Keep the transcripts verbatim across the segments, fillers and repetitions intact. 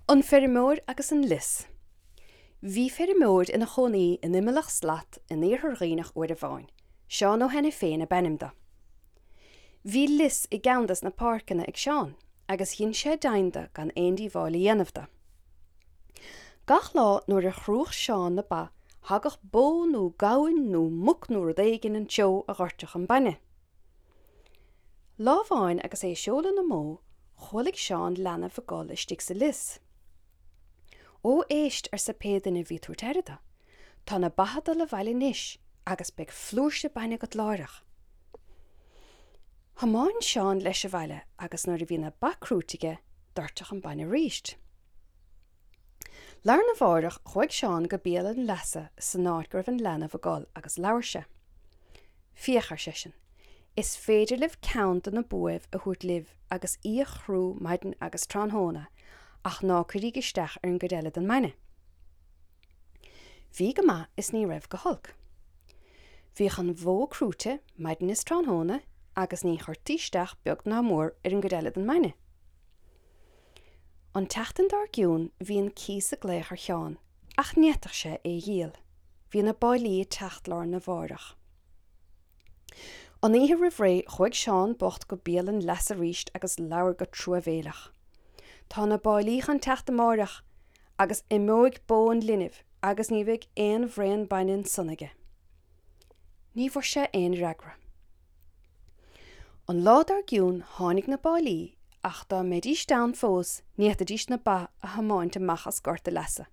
An Feirmeoir agus an Lios. Bhí feirmeoir ina chónaí in Imeallach Slat in iarthar Dhuibhneach uair amháin, Seán Ó hAiniféin ab ainm dó. Bhí lios i gceann des na páirceanna ag Seán, agus dhein sé deimhin de gan aon díobháil a dhéanamh dó. Gach lá nuair a chrúdh Seán na ba, thagadh bó nó gamhain nó muc nó rud éigin an treo a dhoirteadh an bainne. Lá amháin agus é ag seoladh na mbó, chualaidh Seán leanbh ag gol istigh sa lios. Ó éist, arsa pé duine a bhí ag tabhairt aire dó, tá na ba ag dul abhaile anois agus beidh flúirse bainne agat láithreach. Thiomáin Seán leis abhaile agus nuair a bhí na ba crúite aige, doirteadh an bainne arís. Lá arna mhárach chuaigh Seán go béal an leasa san áit go raibh an leanbh ag gol agus labhair sé. Féach, ar seisean, is féidir libh ceann de na buaibh a thabhairt libh agus í a chrú maidin agus tráthnóna ach ná cuiríg isteach ar an gcuid eile den mbainne. Bhí go maith is ní raibh go holc. Bhíodh an bhó crúite maidin is tráthnóna agus ní chuirtí isteach beag ná mór ar an gcuid eile den mbainne. An tseachtain dár gcionn bhí an cíos ag glaoch ar Sheán ach ní fhéadfadh sé é a dhíol. Bhí na báillí ag teacht lá arna mhárach. An oíche roimh ré chuaigh Seán bocht go béal an leasa arís agus labhair go truamhéileach. Tá na báillí chun teacht amáireach agus imeoidh bó an linbh agus ní bheidh aon bhraon bainne ansan aige. Ní bhfuair sé aon fhreagra. An lá dár gcionn tháinig na báillí ach dá mbeidís ann fós ní fhéadfaidís na ba a thiomáint amach as gort an leasa.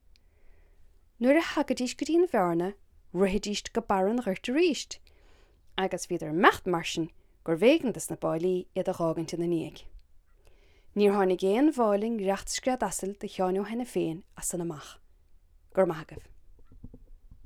Nuair a thagaidís go dtí an bhearna, rithidís go barr an ghoirt arís, agus bhíodar ag imeacht mar sin gurbh éigean dos na báillí iad a dh'fhágaint ina ndiaidh. Níor tháinig aon mháille ngiorracht scread asail do Sheán Ó hAiniféin as san amach. Go raibh maith agaibh.